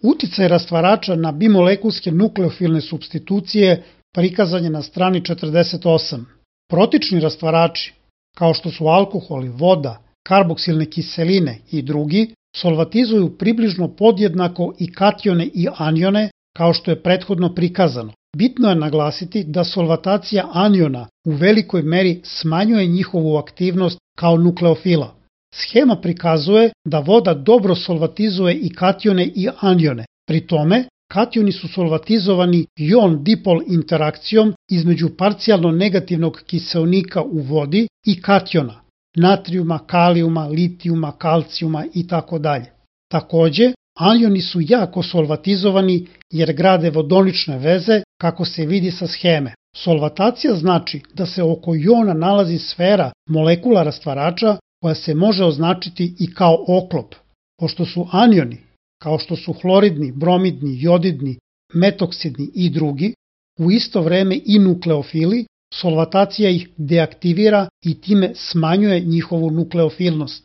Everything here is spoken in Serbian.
Uticaj rastvarača na bimolekulske nukleofilne supstitucije prikazan je na strani 48. Protični rastvarači, kao što su alkoholi, voda, karboksilne kiseline i drugi, solvatizuju približno podjednako i katione i anione, kao što je prethodno prikazano. Bitno je naglasiti da solvatacija aniona u velikoj meri smanjuje njihovu aktivnost kao nukleofila. Schema prikazuje da voda dobro solvatizuje i katione i anione. Pri tome, kationi su solvatizovani jon-dipol interakcijom između parcijalno negativnog kiseonika u vodi i kationa, natrijuma, kalijuma, litijuma, kalcijuma itd. Takođe, anioni su jako solvatizovani jer grade vodonične veze, kako se vidi sa scheme. Solvatacija znači da se oko jona nalazi sfera molekula rastvarača koja se može označiti i kao oklop. Pošto su anioni, kao što su hloridni, bromidni, jodidni, metoksidni i drugi, u isto vreme i nukleofili, solvatacija ih deaktivira i time smanjuje njihovu nukleofilnost.